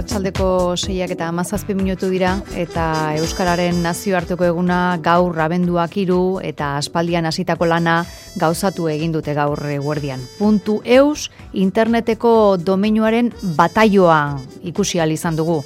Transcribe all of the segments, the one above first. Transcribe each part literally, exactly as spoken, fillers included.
Arratsaldeko seiak eta hamazazpi minutu dira eta Euskararen nazioarteko eguna gaur abenduak hiru eta aspaldian hasitako lana gauzatu egin dute gaur eguerdian. Puntu eus interneteko domeinuaren bataioa ikusi ahal izan dugu.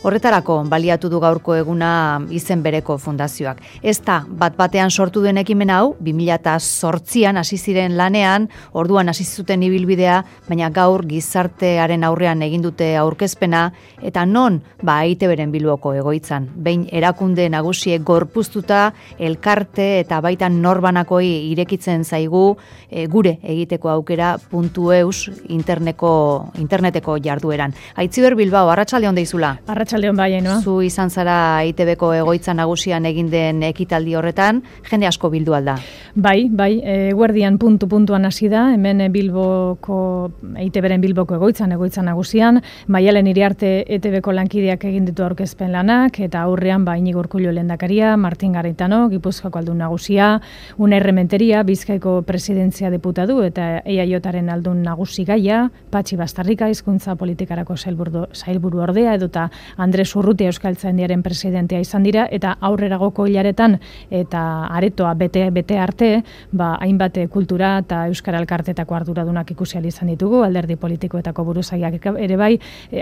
Horretarako baliatu du gaurko eguna izen bereko fundazioak. Ez da bat batean sortu den ekimen hau, bi mila zortzian hasi ziren lanean, orduan hasi zuten ibilbidea, baina gaur gizartearen aurrean egin dute aurkezpena eta non ba E I Te Beren Bilboko egoitzan. Behin erakunde nagusiek gorpuztuta elkarte eta baita norbanakoi irekitzen zaigu e, gure egiteko aukera puntu eus interneko, interneteko jardueran. Aitziber Bilbao, arratsaldeon deizula. Arratsaldeon bai, no? Zu izan zara E I Te Beko egoitza nagusian egin den ekitaldi horretan, jende asko bildu alda. Bai, bai, eguerdian puntu puntuan hasi da, hemen Bilboko E I Te Beren Bilboko egoitzan, egoitza nagusian, Maialen Iriarte E Te Beko lankideak egin ditu aurkezpen lanak, eta aurrean ba Iñigo Urkullu lehendakaria, Martin Garitano, Gipuzkoako aldun nagusia, Unai Rementeria, Bizkaiko presidentzia deputatu eta E I Jaren aldun nagusi gaia, Patxi Bastarrika hizkuntza politikarako sailburu, sailburu ordea, edota Andres Urrutia Euskaltzaindiaren presidentea izan dira, eta aurreragoko hilaretan eta aretoa bete bete arte, ba hainbat kultura eta euskara elkartetako arduradunak ikusi ahal izan ditugu, alderdi politikoetako buruzaiak ere bai,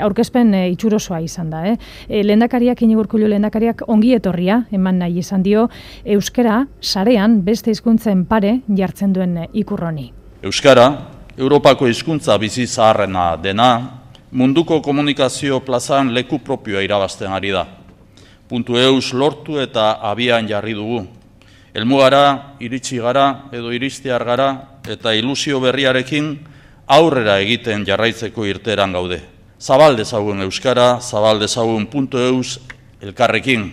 aurkezpen e, itxurosoa izan da, eh. E, lehendakariak Iñigo Urkullu lehendakariak ongi etorria eman nahi izan dio euskara sarean beste hizkuntzen pare jartzen duen ikur honi. Euskara, Europako hizkuntza bizi zaharrena dena, munduko komunikazio plazan leku propioa irabazten ari da. Puntu eus lortu eta abian jarri dugu. Helmugara, iritsi gara edo iristear gara eta ilusio berriarekin aurrera egiten jarraitzeko irteeran gaude. Zabal dezagun euskara, zabal dezagun puntu eus elkarrekin.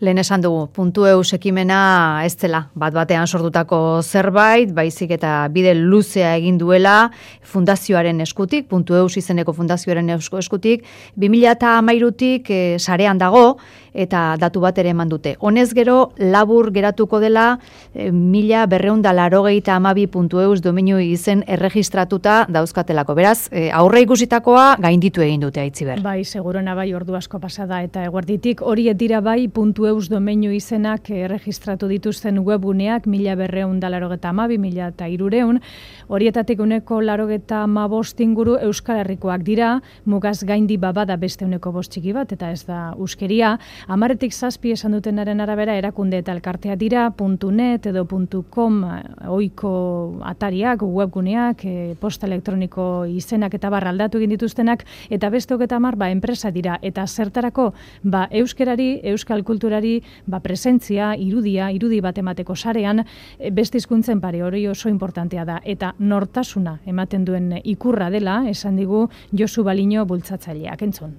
Lehen esan dugu, puntu eus ekimena ez dela, bat batean sortutako zerbait, baizik eta bide luzea egin duela fundazioaren eskutik, puntu eus izeneko fundazioaren eskutik, bi mila hamairutik e, sarean dago, eta datu bat ere eman dute. Honez gero, labur geratuko dela, e, mila berreun da larogeita amabi puntu eus domeinu izen erregistratuta dauzkatelako. Beraz, e, aurre ikusitakoa gainditu egin dute Aitziber. Bai, segurona bai, ordu asko pasada eta eguerditik, hori dira bai, puntu eus domeinu izenak erregistratu dituzten webguneak mila berreun da larogeta amabi, mila eta irureun, horietatik uneko larogeta amabost inguru Euskal Herrikoak dira, mugaz gaindi babada beste uneko bost txiki bat, eta ez da uskeria, amaretik zazpi esan dutenaren arabera erakunde eta elkartea dira, .net edo .com oiko atariak, webguneak, e, posta elektroniko izenak eta barra aldatu egin dituztenak, eta beste hogeta hamar ba, enpresa dira, eta zertarako ba, euskerari, euskal kulturari ba, presentzia, irudia, irudi bat emateko sarean, beste hizkuntzen pare hori oso importantea da, eta nortasuna ematen duen ikurra dela, esan digu Josu Baliño bultzatzaileak, entzun.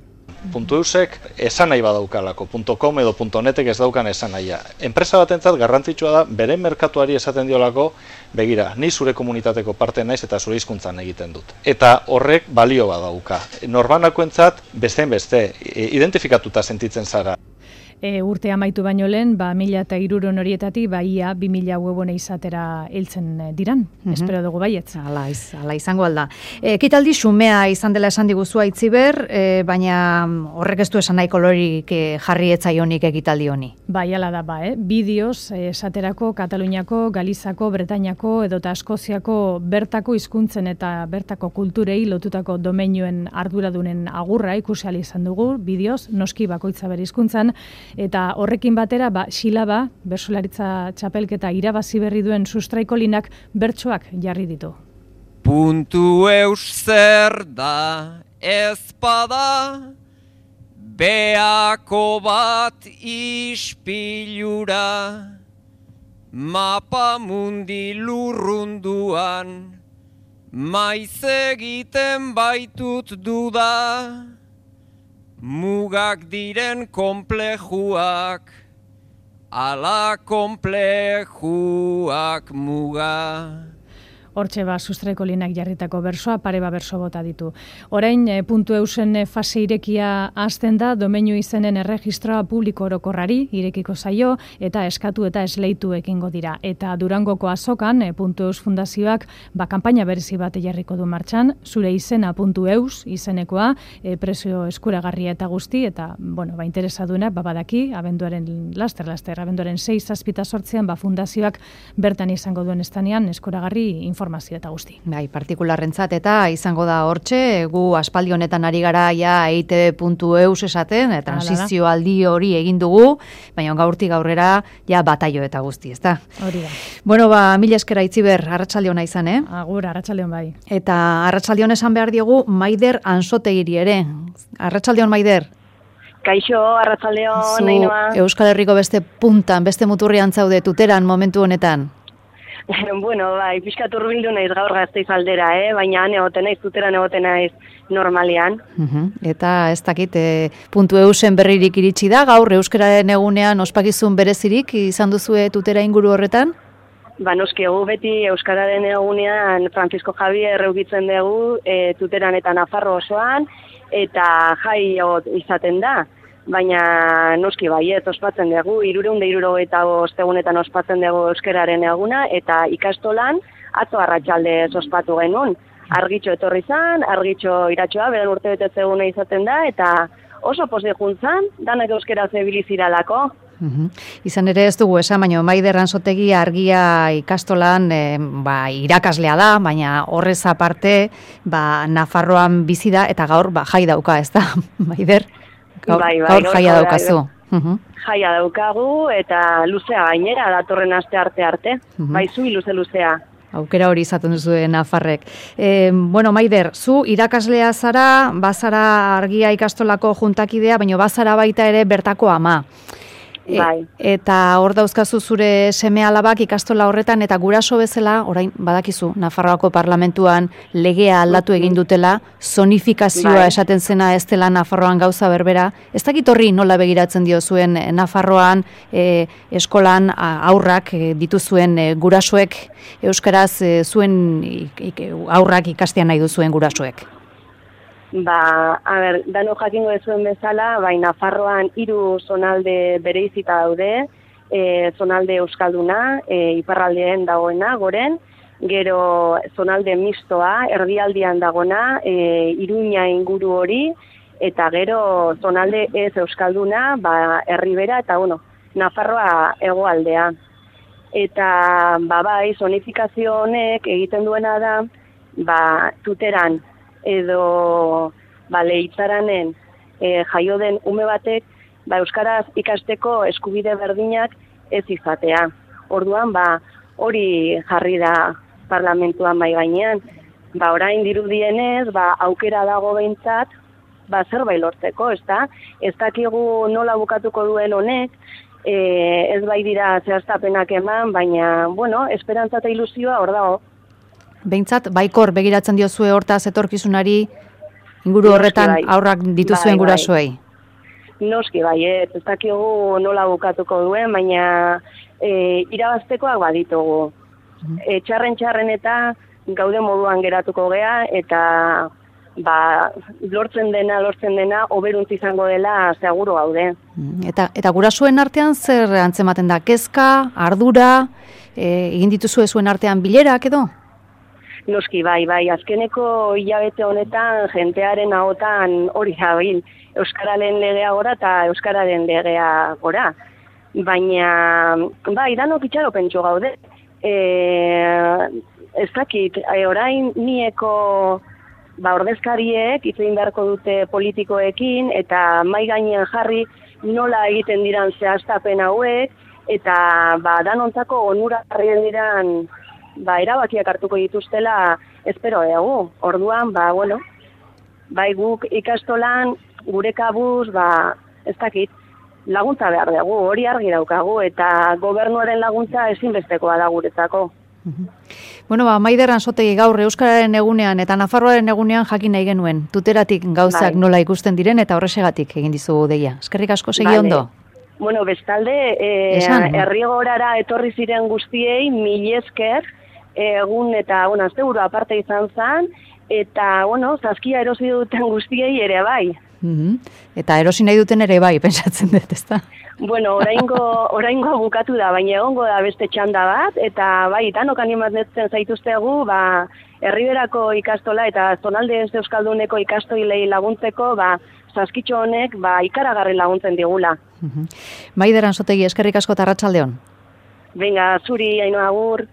Puntu eusek esan nahi badaukalako, .com edo .netek ez daukan esan nahia. Enpresa batentzat garrantzitsua da, bere merkatuari esaten diolako, begira, ni zure komunitateko parte naiz eta zure hizkuntzan egiten dut. Eta horrek balio badauka. Norbanakoentzat bestein beste, identifikatuta sentitzen zara. E, urte amaitu baino lehen, ba, mila eta iruron horietatik, ba, ia, bi mila webone izatera hiltzen diran. Mm-hmm. Espero dugu baietz. Ala, iz, ala izango alda. E, ekitaldi xumea izan dela esan diguzu Aitziber, e, baina horrek ez du esan nahi kolorik e, jarri etzaionik ekitaldi honi. Bai, ala da, ba, eh? Bideoz, esaterako, Kataluniako, Galizako, Bretainako, edota Eskoziako bertako hizkuntzen eta bertako kulturei lotutako domeinuen arduradunen agurra ikusi ahal izan dugu, bideoz, noski bakoitza bere hizkuntzan, eta horrekin batera, ba, Xilaba, bertsolaritza txapelketa irabazi berri duen sustraikolinak bertsoak jarri ditu. Puntu eus zer da ezpada, beako bat ispilura, mapa mundi lurrunduan, maiz egiten baitut duda, mugak diren konplejuak, ala konplejuak muga. hortxe ba sustraiko linak jarritako bersoa, pare ba berso bota ditu. Orain, e, puntu eusen fase irekia hasten da, domeinu izenen erregistroa publiko orokorrari irekiko zaio, eta eskatu eta esleitu ekingo dira. Eta Durangoko azokan, e, puntu eus fundazioak, ba, kanpaina berezi bat jarriko du martxan, zure izena puntu eus izenekoa, e, prezio eskuragarria eta guzti, eta, bueno, ba, interesadunak, ba, badaki, abenduaren laster, laster, abenduaren sei zazpita sortzean, ba, fundazioak bertan izango duen estanean, eskuragarri informazio eta guzti. Bai, partikularrentzat eta izango da hortxe, gu aspaldi honetan ari gara ja e i te be puntu eus esaten, transizio aldi hori egin dugu, baina gaurtik aurrera ja bataio eta guzti, ezta? Hori da. Bueno, ba, mila eskera Itziber, arratsalde ona izan, eh? Agur, arratsalde on bai. Eta arratsalde on esan behar diogu Maider Ansotegiri ere. Arratsalde on, Maider. Kaixo, arratsaldeon, Nainoa. Euskal Herriko beste puntan, beste muturrian zaude tuteran momentu honetan. Bueno, bai, pixkat hurbildu naiz gaur Gasteiz aldera, eh? Baina han egoten naiz, tuteran egoten naiz normalean. Uh-huh. Eta ez dakit, e, puntu eusen berririk iritsi da, gaur euskararen egunean ospakizun berezirik izan duzue tutera inguru horretan? Ba, noski, egu beti euskararen egunean Francisco Javier eukitzen dugu e, tuteran eta Nafarro osoan, eta jai izaten da. Baina noski baiet ospatzen dugu, hirurehun eta hirurogeita bost egunetan ospatzen dugu euskararen eguna, eta ikastolan atzo arratsaldez ospatu genuen. Argitxo etorri zan, argitxo iratxoa, beren urte betetze eguna izaten da, eta oso pozik juntzan, danak euskara zebiliziralako. Uhum. Izan ere ez dugu esan, baina Maider Ansotegi argia ikastolan e, ba, irakaslea da, baina horrez aparte ba, Nafarroan bizi da, eta gaur ba, jai dauka, ez da, Maider? Gaur, bai, bai, gaur jaia daukazu. Uhum. Jaia daukagu, eta luzea gainera, datorren aste arte arte. Uhum. Bai, zui luze-luzea. Aukera hori izaten duzu Nafarrek. E, bueno, Maider, zu irakaslea zara, bazara argia ikastolako juntakidea, baina bazara baita ere bertako ama. Bai. E, eta hor dauzkazu zure seme alabak ikastola horretan, eta guraso bezala, orain badakizu, Nafarroako parlamentuan legea aldatu egin dutela, zonifikazioa bai. esaten zena ez dela Nafarroan gauza berbera. Ez dakit horri nola begiratzen dio zuen Nafarroan e, eskolan aurrak e, dituzuen e, gurasoek, euskaraz e, zuen ik, aurrak ikastean nahi duzuen gurasoek. Ba, a ber, dano jakingo dezuen bezala, bai, Nafarroan hiru zonalde bereizita daude, e, zonalde euskalduna, e, iparraldeen dagoena, goren, gero zonalde mistoa, erdialdian dagoena, e, Iruña inguru hori, eta gero zonalde ez euskalduna, ba, Erribera, eta bueno, Nafarroa hegoaldea. Eta, ba, bai, zonifikazio honek egiten duena da, ba, tuteran, edo ba, leitzaranen e, jaio den ume batek ba, euskaraz ikasteko eskubide berdinak ez izatea. Orduan, ba, hori jarri da parlamentuan bai gainean. Ba, orain dirudienez, ba, aukera dago behintzat, ba, zerbait lortzeko, ez da? Ez dakigu nola bukatuko duen honek, e, ez bai dira zehaztapenak eman, baina, bueno, esperantza eta ilusioa hor dago. Behintzat, baikor begiratzen diozue hortaz etorkizunari inguru horretan bai. Aurrak dituzuen bai, gurasoei. Bai. Noski bai, ez, ez dakigu nola bukatuko duen, baina e, irabaztekoak baditugu. Mm. E, txarren txarren eta gaude moduan geratuko gea, eta ba, lortzen dena, lortzen dena, oberuntz izango dela seguru gaude. Eta, eta gurasoen artean zer antzematen da? Kezka, ardura, e, egin dituzue zuen artean bilerak edo? Noski, bai, bai, azkeneko hilabete honetan jentearen ahotan hori jabil, euskararen legea gora eta euskararen legea gora. Baina, bai, danok itxaro pentsu gaude. E, ez dakit, e, orain nieko ba, ordezkariek hitz egin beharko dute politikoekin, eta mai gainean jarri nola egiten diran zehaztapen hauek, eta ba, danontzako onuragarrien diran ba, erabakiak hartuko dituztela espero egu. Orduan, ba, bueno, bai guk ikastolan, gure kabuz, ba, ez dakit, laguntza behar dugu, hori argi daukagu, eta gobernuaren laguntza ezinbestekoa da guretzako. Bueno, ba, Maider Ansotegi gaur euskararen egunean eta Nafarroaren egunean jakin nahi genuen. Tuteratik gauzak bai. Nola ikusten diren eta horrexegatik egin dizugu deia. Eskerrik asko segi vale. Ondo. Bueno, bestalde, eh, herrigorara etorri ziren guztiei mil esker, egun eta, bueno, asteburu aparte izan zen, eta, bueno, zaskia erosi duten guztiei ere bai. Mm-hmm. Eta erosi nahi duten ere bai, pentsatzen dut, ezta? Bueno, oraingo, oraingo bukatu da, baina egongo da beste txanda bat, eta bai, danok animatzen zaituztegu, ba, Herriberako ikastola eta zonalde ez euskalduneko ikastoilei laguntzeko, ba, saskitxo honek, ba, ikaragarri laguntzen digula. Mm-hmm. Maider Anzotegi, eskerrik asko eta arratsaldeon. Venga, zuri, Ainhoa, agur.